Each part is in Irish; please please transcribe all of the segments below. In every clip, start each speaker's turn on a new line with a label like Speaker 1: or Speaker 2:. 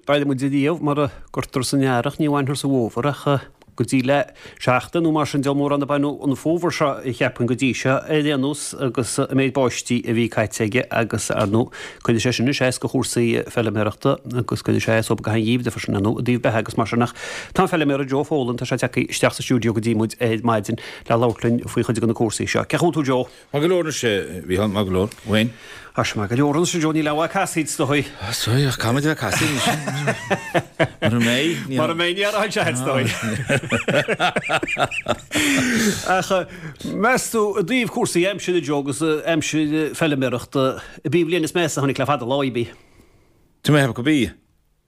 Speaker 1: Beidh muid riamh mar a gcuirtear san earrach, ní bhainfear sa bhfómhar ach go dtí le seachtain nó mar sin de mórán a baineadh an fómhar seo a cheapfainn go dtí seo ar aon nós agus an méid báistí a bhí caite aige agus ar ndóigh cuirfidh sé sin anois as do chúrsaí feilméarachta agus cuirfidh sé as dóibh go han-gheimhreadh freisin ar ndóigh i dtaobh beithe agus mar sin ach tá an feilméara Joe Folan tá sé tagtha isteach sa stiúideo go dtí muid ar maidin le labhairt linn faoi chuid de na cúrsaí seo. Cén chaoi a bhfuil tú Joe?
Speaker 2: Maith go leor anois, a Mhícheáil, maith go leor. Wayne?
Speaker 1: Tá sé maith go leor anois, a Joe, níl aon mhaith casaoid is dóigh.
Speaker 2: Is dóigh, ach caithfimid a bheith ag casaoid anois. Mura mbeidh,
Speaker 1: ní. Mura mbeidh, ní aireoidh sé is dóigh. Ach meas tú, i dtaobh cúrsaí aimsire, Joe, agus aimsir feilméarachta, ab í an bhliain is measa a tháinig le fada lá í, ab í?
Speaker 2: Tá mé ag ceapadh gurb í.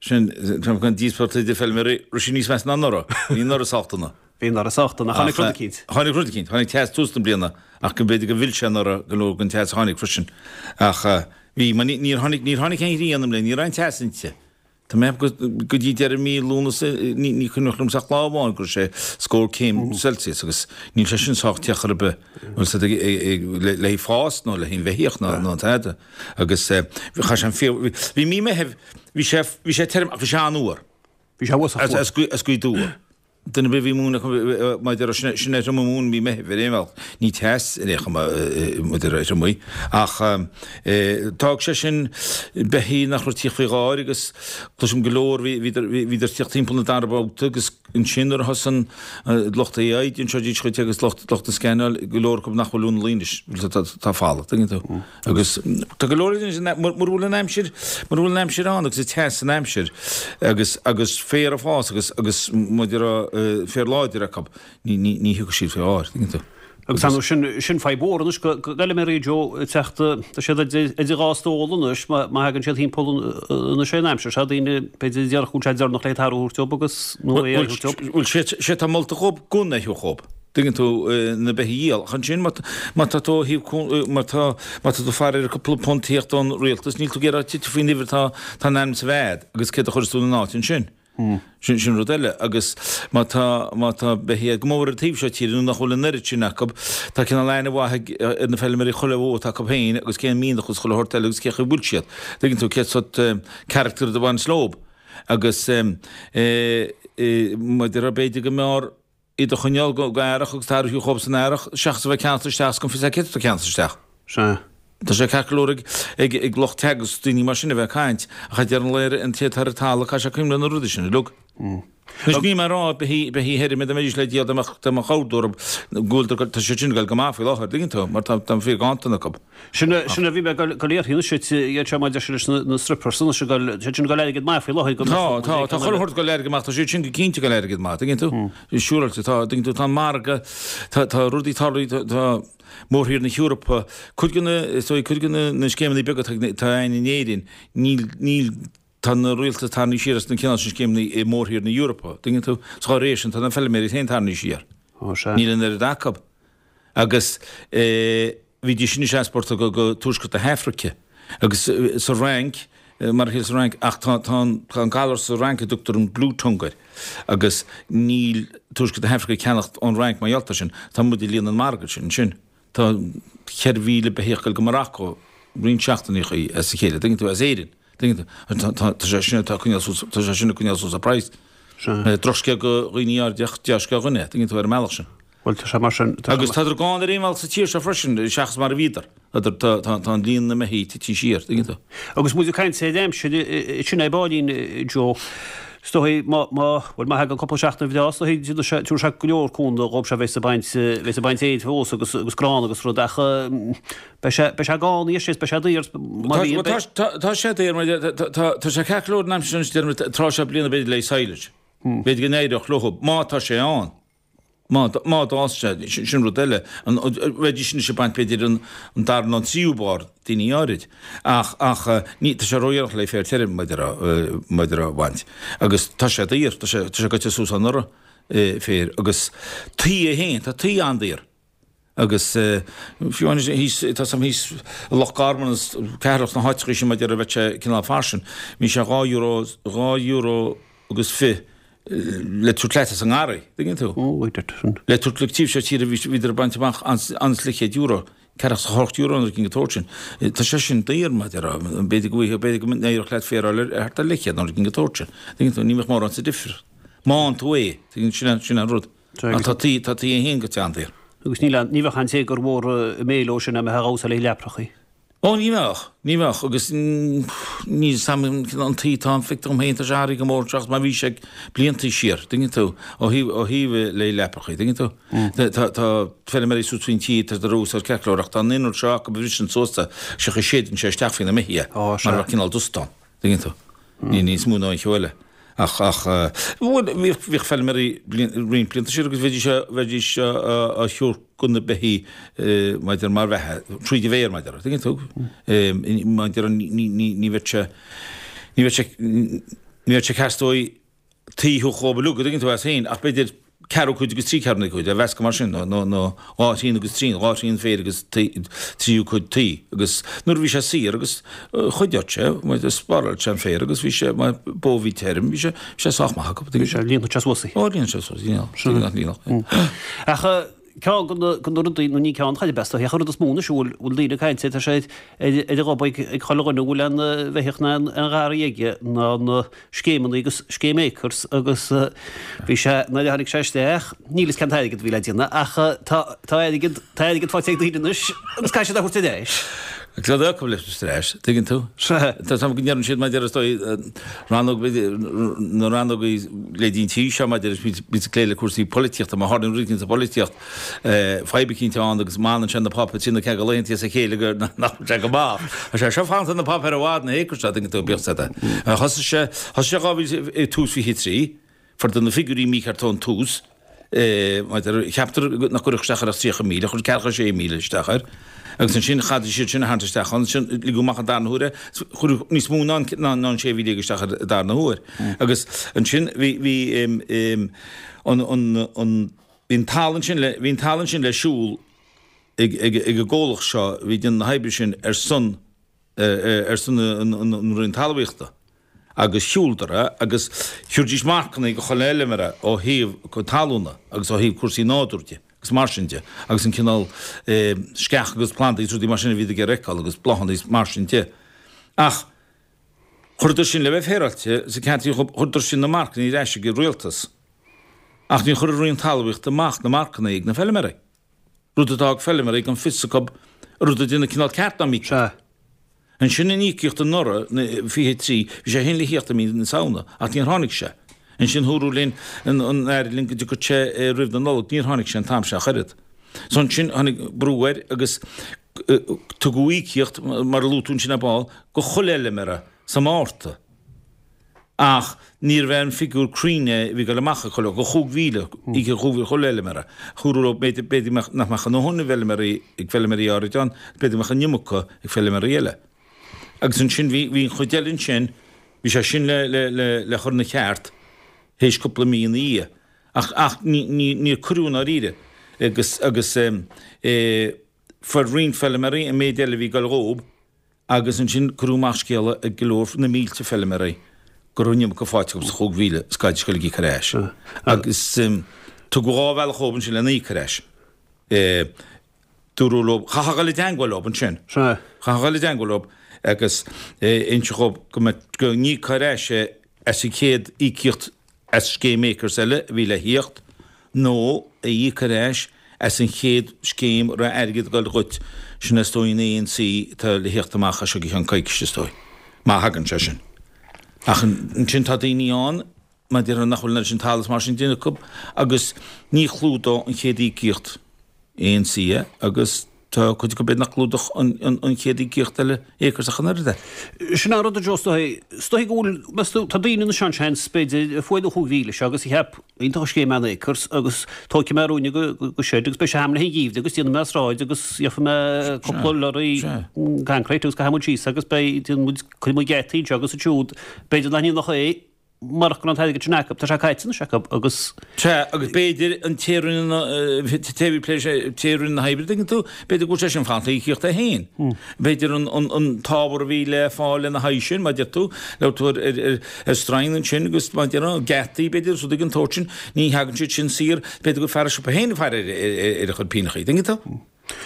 Speaker 2: Sin, tá an díospóireacht idir feilméaraí, raibh sí níos measa ná anuraidh. Bhí anuraidh sách dona.
Speaker 1: Bhí anuraidh sách dona, ach tháinig rud eicínt.
Speaker 2: Tháinig rud eicínt. Tháinig teas tús na bliana, ach go mb'fhéidir gur mhill sé anuraidh go leor den teas a tháinig freisin. Ach bhí, mar níor tháinig, níor tháinig aon ghrian i mbliana, ní raibh aon teas inti. Tá mé ag ceapadh go dtí deireadh mí Lúnasa, ní, ní cuimhneach liomsa ach lá amháin go raibh sé scór céim Celsius agus níl sé sin sách te chor ar bith, bhfuil 's a'd, le haghaidh fás nó le haghaidh an bheithíoch ná, ná tada. Agus chaith sé an fíor, bhí mí Meithimh, bhí sé, bhí sé tirim ach bhí sé an-fhuar.
Speaker 1: Bhí sé uafásach
Speaker 2: fuar. As, as Gaoth Dobhair. Duine ar bith a bhí ag múineadh acu, mar a déarfá, sin, sin é Triomaigh Mhóin mí Meithimh ar aon bhealach. Ní teas ar aon chuma, mar a déarfá, Triomaigh. Ach d'fhág sé sin beithígh nach raibh tíocht faoi dháir agus cloisim go leor, bhí, bhíodar, bhíodar tíocht timpeall na dara babhta agus Ansin nuair a thosaigh an lucht AI, d'inseoidís dhuit agus lucht lucht na scannáil, go leor acu nach bhfuil ina luí anois, tá folamh, tuigeann tú. Agus tá go leor mura bhfuil an aimsir, mura bhfuil an aimsir ann agus an teas san aimsir agus agus féar ag fás agus agus mar a déarfá féar láidir acu, ní ní ní thiocfaidh siad faoi dháir, tuigeann tú.
Speaker 1: Agus ar ndóigh sin, sin fadhb mhór anois go bhfeilméaraí Joe ag teacht, tá siad idir dhá stól anois má thagann siad thimpeall anois ar an aimsir seo, daoine b'fhéidir a déarfadh go bhfuil sé deireanach le tarú a thabhairt dóibh agus nó é a thabhairt
Speaker 2: dóibh. Bhuel, sé atá molta dhóibh gan é a thabhairt dhóibh, tuigeann tú, na beithígh a dhíol. Ach ansin má má tá tú ó thaobh má tá má tá tú ag faire ar cúpla punt tíocht ón rialtas, níl tú ag iarraidh titim faoin uimhir atá tá in ainm is a bheith a'd agus céard a chuirfeas tú ina áit ansin. Sin, sin rud eile. Agus má tá, má tá beithígh go mór ar an taobh seo tíre nó nach bhfuil an oiread sin acu, tá cineál aithne mhaith ag, ar na feilméaraí chuile bhó atá acu féin agus cén mianach agus chuile shórt eile agus cé chaoi bhfuil siad. Tuigeann tú, cén sórt character a bhaineas leob. Agus eh, eh, mar a déarfá b'fhéidir go mb'fhearr iad a choinneáil go earrach agus tarraingt dhóibh san earrach seachas a bheith ag ceannacht isteach is gan fios céard atá ag ceannacht isteach.
Speaker 1: Sea.
Speaker 2: Tá sé ceart go leor ag, ag, ag lucht Teagasc daoine mar sin a bheith ag caint, ach ag deireadh an lae an té atá ar an talamh caithfidh sé cuimhneamh ar na rudaí sin uilig. Anois níl mé ag rá beithígh, beithígh thirim dá mbeidís le díol dá mbeadh, dá mbeadh ordú orthu go bhfuil, tá siad sin ag dul go maith faoi láthair, tuigeann tú, mar tá, tá an fíor-ghanntan acu.
Speaker 1: Sin a, sin a bhí mé ag dul uirthi anois, iad seo maidir leis na strippers anois ag dul, siad sin ag dul airgead maith faoi láthair
Speaker 2: go Tá, tá, tá chuile shórt ag dul airgead maith, tá siad sin go cinnte ag dul airgead maith, tuigeann tú? Siúráilte, tá, tuigeann tú, tá an margadh, tá, tá rudaí tarlaithe, tá, tá mórthír na hEorpa, cuid de na, is dóigh, cuid de na, na scéimeanna beaga atá, atá againn in Éirinn, níl, níl, tá na rialtais tarraingthe siar as na cineál sin scéimeanna i mórthír na hEorpa, tuigeann tú? So dá réir sin, tá na feilméaraí féin tarraingthe siar.
Speaker 1: Ó, sea.
Speaker 2: Níl an oiread acu. Agus bhídís anois ag easpórtáil go go tuaisceart na hAfraice agus sa Fhrainc, mar a chéile sa Fhrainc, ach tá tá an tá an galar sa Fhrainc a dtugtar an blue tongue air agus níl tuaisceart na hAfraice ag ceannacht ón Fhrainc mar gheall air sin. Tá muid ag líonadh an margadh sin ansin. Tá 4,000 beithíoch ag dul go Morocco roinnt seachtainí as a chéile, tuigeann tú, as Éirinn. Tuigeann tú? Tá tá tá sé sin atá ag coinneáil suas tá sé sin ag coinneáil suas an praghas.
Speaker 1: Sea.
Speaker 2: Drochscéal do dhaoine áirithe ach dea-scéal dhúinne, tuigeann tú, ar an mbealach sin.
Speaker 1: Bhuel, tá sé mar sin.
Speaker 2: Tá Agus tádar gann ar aon bhealach sa tír seo freisin, seachas mar a bhíodar. Tádar, tá, tá, tá an líon na mbeithígh tití siar, tuigeann tú.
Speaker 1: Agus muid ag caint ar aimsir, sin é Báilín, Joe. Is dóigh, má, má, bhuel, má thagann cúpla seachtain bhreá, is dóigh, déanfaidh sé, tabharfaidh sé go leor cúnamh dhóibh seo a bheas ag baint, bheas ag baint féir fós agus, agus grán agus rud ach beidh sé, beidh sé gann anois is beidh sé daor, má
Speaker 2: Tá, bhíonn, beidh. tá, tá sé daor, mar tá, tá, tá sé ceart go leor an aimsir anois, déarfainn, tráth seo bliana b'fhéidir le silage. B'fhéidir go n-éireodh leo, má tá sé ann. Má d'fhás sé, sin rud eile. Bheidís anois ag baint b'fhéidir an dara nó an tríú barr, daoine áirid. Ach, ach, ní, tá sé ródhéanach le féar tirim, maidir maidir a bhaint. Agus tá sé daor, tá sé, tá sé goite suas anuraidh, féar. Agus tuí é féin, tá tuí an-daor. Agus fiú amháin thíos, tá 's a'm thíos i Loch Garman is Ceatharlach sna háiteachaí sin maidir a bheadh sé cineál fairsing, bhí sé €2, €2 agus fi le tabhairt leat as an ngarraí, tuigeann tú?
Speaker 1: Ó, wait a sin.
Speaker 2: Le tabhairt le taobh seo tíre bhí, bhíodar ag baint amach an-slí €100. €48 nó rud éigin den tsórt sin. Tá sé sin daor, mar a déarfá. B'fhéidir go bhfaighfeá, b'fhéidir go n-éireodh leat féar a fháil ar thart ar leathchéad nó rud éigin den tsórt sin. Tuigeann tú, ní bheadh mórán sa difríocht. Má fhaigheann tú é, tuigeann, sin an, sin an rud. Ach tá tuí, tá tuí é féin go teann daor.
Speaker 1: Agus níl aon, ní bheadh aon téagar mhór i mbéal ó sin dá mbeifeá ag úsáid le leaprachaí.
Speaker 2: Ó, ní bheadh, ní bheadh, agus níl 'fhios a'm an tuí atá ann, feictear dom féin, tá sé athraithe go mór seachas mar bhí sé blianta siar, tuigeann tú, ó thaobh, ó thaobh le leaprachaí, tuigeann tú. Tá, tá feilméaraí suas faoin tuí, tá siad ag úsáid ceart go leor, ach tá an inneall seo acu a bhriseann suas é, sé chaoi séideann sé isteach faoi na mbeithígh é, mar a bheadh cineál dust ann. Tuigeann tú? Ní níos mó ná aon cheo eile. Ach, ach, bhuel, bhíodh, bhíodh feilméaraí bliain, roinnt blianta siar agus bheidís, bheidís á thabhairt do na beithígh maidir mar bheatha, tríd an bhféar, mar a déarfá, tuigeann tú? Mar a déarfá, ní, ní, ní bheadh sé, ní bheadh sé, ní bheadh sé ceart dóibh tuí a thabhairt dhóibh uilig, an dtuigeann tú, as féin, ach b'fhéidir ceathrú cuid agus trí ceathrúna cuid, a mheascadh mar sin, nó, nó, nó dhá thrian agus trian, dhá thrian féir agus tríú cuid tuí. Agus nuair a bhí sé saor agus chuideodh sé, spáráil sé an féar agus bhí sé, mar bó a bhí tirim, bhí sé, bhí sé sách maith acu.
Speaker 1: Bhí sé, líonfadh sé suas í.
Speaker 2: Ó, líonfadh sé suas í, líonfadh, líonfadh.
Speaker 1: Ach ceann de na, de na rudaí, nó ní ceann, chaill best, ach an rud is mó anois a bhfuil, bhfuil daoine ag caint air, tá sé ar, ar a ghob ag, ag chuile dhuine a bhfuil aon bheithíoch ná aon, aon gharraí aige ná na scéimeanna agus scéim Acres agus bhí sé, nuair a tháinig sé isteach, níl fhios cén t-airgead a bhí le déanamh ach tá, tá airgead, tá airgead faighte ag daoine anois agus caithfidh siad é a thabhairt ar ais.
Speaker 2: Cad é acu leis ar ais, tuigeann tú? Sea. Tá 's agam go ndeireann siad maidir is dóigh rannóg, na rannógaí le dtí an tí seo maidir is bíonn ag plé le cúrsaí polaitíochta, má tharlaíonn rud éicint sa pholaitíocht, fadhb eicínt ann agus má fhanann sé na páipéir trí nó ceathair de laethanta as a chéile go nach bhfuil sé go maith. Tá sé seo fanta na páipéir i bhfad na hAcres seo, tuigeann tú, bíodh sé de. Thosaigh sé, thosaigh sé 2000, tús 23, fuaireadar na figiúirí mícheart ón tús, maidir, cheapadar nach gcuirfeadh isteach air ach 30,000, chuir 46,000 isteach air. Agus ansin chaithfidís iad sin a tharraingt isteach ann, ansin ligeadh amach an darna huair é, cuireadh níos mó ná an 16,000 isteach air an darna huair. Agus ansin bhí, bhí an, an, an, bhí an talamh ansin le, bhí an talamh ansin le siúl ag, ag, ag an gcomhlacht seo a bhí ag déanamh na hoibre sin ar son, ar son an Roinn Talmhaíochta. Agus shiúladar é agus thabhraidís marcanna do chuile fheilméara ó thaobh talúna agus ó thaobh cúrsaí nádúir de agus mar sin de agus an cineál sceach agus plandaí agus rudaí mar sin a bhíodar ag iarraidh a fheiceáil agus bláthanna agus mar sin de. Ach chuireadar sin le bheith féaráilte sa ceantar, chuireadar sin na marcanna ar ais ag an rialtas. Ach níor chuir an Roinn Talmhaíochta amach na marcanna ag na feilméaraí. Rud a d'fhág feilméaraí gan fios acu an raibh siad ag déanamh cineál ceart ná mícheart. Ansin an íocaíocht anuraidh, 23, bhí sé féin le thíocht i mí na Samhna, ach níor tháinig sé. Ansin dúradh linn, an Aire linn go dtiocfadh sé roimh na Nollag, níor tháinig sé an t-am seo ach oiread. So ansin tháinig brú air agus tugadh íocaíocht, mar a luaigh tú ansin ar ball, go chuile fheilméara sa Márta. Ach níorbh é an figiúr cruinn é a bhí ag dul amach ag chuile, go 5,000, oíche 5,000 chuile fheilméara. Dúradh leo b'fhéidir, b'fhéidir nach mbeadh a ndóthain feilméaraí ag feilméaraí áirid ann, b'fhéidir go mbeadh an iomarca ag feilméaraí eile. Agus ansin bhí, bhí an chuid eile ansin, bhí sé sin le, le, le, le chur ina cheart théis cúpla mí ina dhiaidh. Ach, ach ní, ní, níor cuireadh i ndáiríre. Agus, agus eh, eh, fuair roinnt feilméaraí an méid eile a bhí ag dul dhób, Agus ansin cuireadh amach scéala ag go leor, na mílte feilméaraí, go raibh an iomarca faighte acu sa 5,000 is caithfidís dul ag íoc ar ais. Agus tugadh dhá bhealach dhóibh ansin lena íoc ar ais. Dúradh leo, chaithfeá dul i dteangmháil leo ansin. Chaithfeá dul i dteangmháil leo agus inse dhóibh go mbeadh, go n-íocfá ar ais é as an chéad íocaíocht as scéim Acres eile a bhí le thíocht, nó a íoc ar ais as an chéad scéim a raibh airgead ag dul dhuit, sin is dóigh an ANC atá le thíocht amach as seo go ceann coicíse is dóigh, má thagann sé sin. Ach ansin tá daoine ann, mar a déarfá, nach bhfuil an oiread sin talaimh is mar sin déanta acu agus ní chlúdódh an chéad íocaíocht ANC é agus tá cuid acu b'fhéidir nach gclúdódh an chéad íocaíocht eile Acres ach an oiread
Speaker 1: é. Sin an rud a Joe, is dóigh, is dóigh go bhfuil, meas tú, tá daoine anois ann seans, b'fhéidir, a fuair an 5,000 seo agus a cheap, iontach an scéim an Acres agus tógfaidh mé ruainne go shed agus beidh sé a'm le haghaidh an gheimhridh agus déanfaidh mé sráid agus gheobhaidh mé cúpla lorry concrete agus caithfidh muid síos agus beidh, déanfaidh muid, cuirfidh muid geataí anseo agus ansiúd, b'fhéidir nach ndéanfadh é. Marach go raibh an t-airgead sin acu, tá sé caite anois acu agus.
Speaker 2: Sea, agus b'fhéidir an té a rinne na, té a bhí plé, té a rinne na hoibre, tuigeann tú, b'fhéidir go bhfuil sé sin fanta le híocaíocht é féin. B'fhéidir an, an, an t-ábhar a bhí le fáil lena haghaidh sin, mar a deir tú, labhair tú ar, ar, ar, ar stroighin ansin agus mar a déarfá, geataí, b'fhéidir, is rudaí den tsórt sin, ní thagann siad sin saor, b'fhéidir gur fear an siopa féin ag faire ar, ar, ar, ar a chuid pighneachaí, tuigeann tú?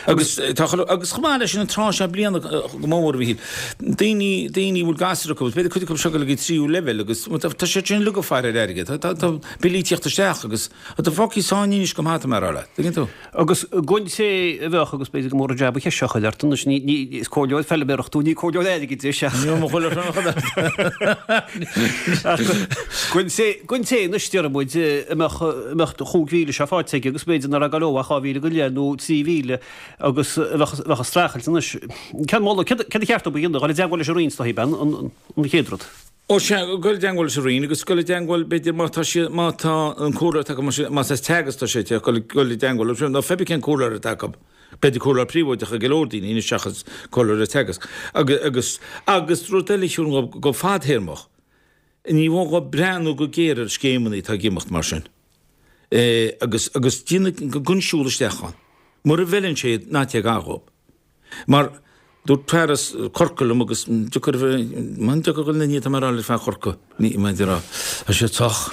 Speaker 2: Agus tá chuile, agus chomh maith leis sin an tráth seo bliana go mór a Mhíchíl, daoine, daoine a bhfuil gasúir acu, b'fhéidir cuid acu seo ag dul ag an tríú leibhéal agus tá siad sin uilig ag faire ar airgead, tá, tá billí ag tíocht isteach agus tá fágtha sáinnithe anois go maith tá mé a rá leat, tuigeann tú?
Speaker 1: Agus don té a bheadh, agus b'fhéidir gur mór an jab an cheist seo a chur ort anois, ní, ní, is comhairleoir feilméarach tú, ní comhairleoir airgeadais ach.
Speaker 2: Ní mo chuile chur
Speaker 1: Ach don té, don té anois, déarfaidh muid, a mbeadh, a mbeadh 5,000 seo faighte aige agus b'fhéidir nach raibh ag gabháil ó ach 2,000 go leith nó 3,000 agus a bheadh, a bheadh ag streachailt anois. Cén moladh, céard, céard ba cheart dóibh a dhéanamh, dhul i dteagmháil leis an Roinn is dóichí, ab ea, an, an chéad rud?
Speaker 2: Ó sea, dul i dteagmháil leis an Roinn agus dul i dteagmháil, b'fhéidir, má tá siad, má tá an comhairleoir atá acu, más as Teagasc atá sé, dul, dul i dteagmháil leis, nó pé ar bith cén comhairleoir atá acu. B'fhéidir comhairleoir príobháideach ag go leor daoine anois seachas comhairleoir ag Teagasc. Agus, agus, agus rud eile, a Shiúrán, go fadthéarmach, ní mó dhóibh breathnú go géar ar scéimeanna atá ag imeacht mar sin agus, agus déanamh gan siúl isteach ann. Mura bhfeileann sé iad, ná téigh gar dhóibh. Mar dúirt fear as Corcaigh liom agus deacair a bheith, man deacair dhul ina ndiaidh tá mé a rá le fear Chorcaí, ní mar a rá, tá siad sách.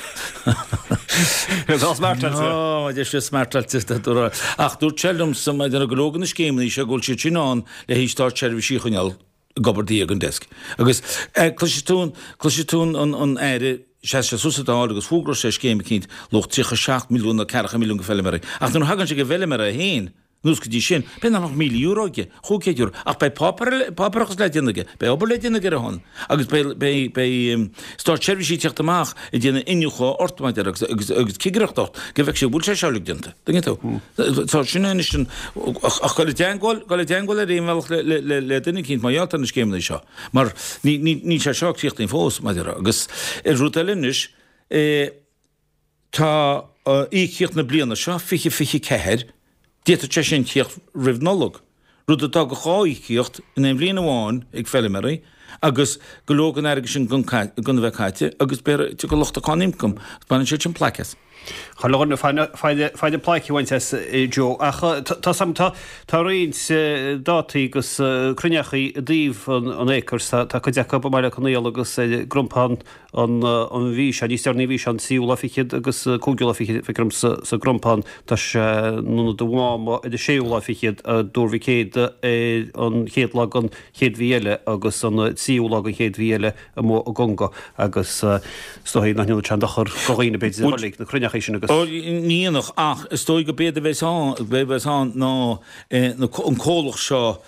Speaker 1: Tá smartáilte.
Speaker 2: Ó, tá siad smartáilte, ach dúirt sé liomsa maidir le go leor de na scéimeanna seo go bhfuil siad sin ann le haghaidh státseirbhísigh a choinneáil ag obair ag an desk. Agus cloisfidh tú an, cloisfidh tú an, an Aire, sheas sé suas sa Dáil agus fógraíonn sé scéim eicínt luach 37 milliún nó ceathracha milliún go feilméaraí. Ach nuair a thagann sé go bhfeilméara é féin, Anuas go dtí sin, b'fhéidir nach mbeadh €1,000 aige, €500, ach beidh páipéarachas le déanamh aige, beidh obair le déanamh aige ar a shon, agus beidh, beidh, beidh státseirbhísigh ag teacht amach ag déanamh iniúchadh ort, mar a déarfá, agus, agus, agus cigireacht ort, go bhfeicfidh siad an bhfuil sé seo uilig déanta. Tuigeann tú? So, sin é anois an, ach, ach dul i dteagmháil, dul i dteagmháil ar aon bhealach le, le, le, le duine eicínt mar gheall ar na scéimeanna seo, mar ní, ní, níl sé seo críochnaithe fós, mar a déarfá. Agus rud eile anois, eh, Tá íocaíocht na bliana seo, 2024, d'fhéadfadh sé sin tíocht roimh Nollaig, rud a d'fhágfadh 2 íocaíocht in aon bhliain amháin ag feilméaraí agus go leor den airgead sin gan a bheith caite agus b'fhéidir tiocfaidh lucht an cáin ioncaim agus baineann siad sin plaic as.
Speaker 1: Chuile dhuine faigh plaic a bhaint as Joe ach tá tá tá roinnt dátaí agus cruinneachaí i dtaobh an Acres tá cuid acu i mBaile Átha Conaola agus ar gCrompán an mhí seo, níos deireanaí an mhí seo, an tríú lá fichead agus cúigiú lá fichead, feictear dom, sa gCrompán. Tá sé in Ionad an Mháma ar an séú lá fichead, i dTuar Mhic Éadaigh ar an chéad lá den chéad mhí eile agus an tríú lá den chéad mhí eile amuigh i gConga agus is dóigh nach ndéanfadh sé aon dochar do dhaoine, b'fhéidir, a dhul ag na cruinneachaí sin agus.
Speaker 2: Ó, ní dhéanfadh ach is dóigh go b'éard a bheas ann, a bheas ann ná an comhlacht seo,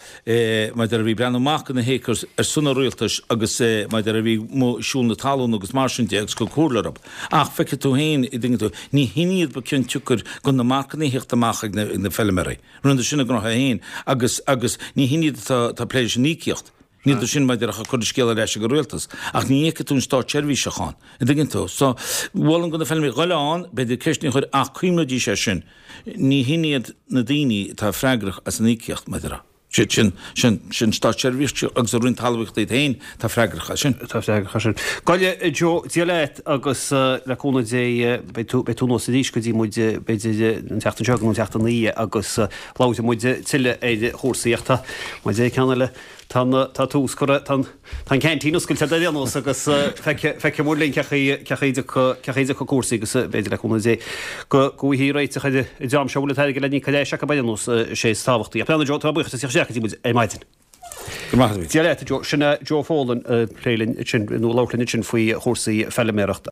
Speaker 2: mar a déarfá a bhí ag breathnú amach do na hAcres ar son an rialtais agus mar a déarfá a bhí amuigh ag siúl na talún agus mar sin de agus ag cur comhairle orthu. Ach feicfidh tú féin, an dtuigeann tú, ní hin iad ba cionn tsiocair go na marcanna a theacht amach ag na feilméaraí. Rinneadar sin a ngnótha féin agus agus ní hin iad atá ag plé leis an íocaíocht. Ní hiad sin mar a déarfá ag cur an scéal ar ais ag an rialtas. Ach ní fheicfidh tú an státseirbhíseach ann. An dtuigeann tú? So, mholfainn do na feilméaraí dhul ann, b'fhéidir ceisteanna a chur ach cuimhnídís air sin. Ní hin iad na daoine atá freagrach as an íocaíocht, mar a déarfá. Siad sin, sin, sin státseirbhísigh agus an Roinn Talmhaíochta iad féin atá freagrach as sin.
Speaker 1: Atá freagrach as sin. Gabh i leith, Joe, Dia leat agus le cúnamh Dé beidh tú, beidh tú anuas arís go dtí muid, b'fhéidir an tseachtain seo nó an tseachtain ina dhiaidh agus labhróidh muid tuilleadh ar chúrsaí ach tá, mar a deir ceann eile, tá an, tá tús curtha, tá an, Tá an ceaintín oscailte ar aon nós agus feicfidh muid linn cén chaoi a dtiocfaidh cúrsaí agus b'fhéidir le cúnamh Dé go bhfaighfí réiteach ar an dream seo a bhfuil an t-airgead le n-íoc ar ais acu ar aon nós, is é is tábhachtaí. Ach breathnaigh Joe, tá mé buíoch as teacht isteach go dtí muid ar maidin.
Speaker 2: Go raibh maith agat.
Speaker 1: Dia leat, a Joe. Sin é Joe Folan ag plé linn ansin, nó ag labhairt linn ansin faoi chúrsaí feilméarachta.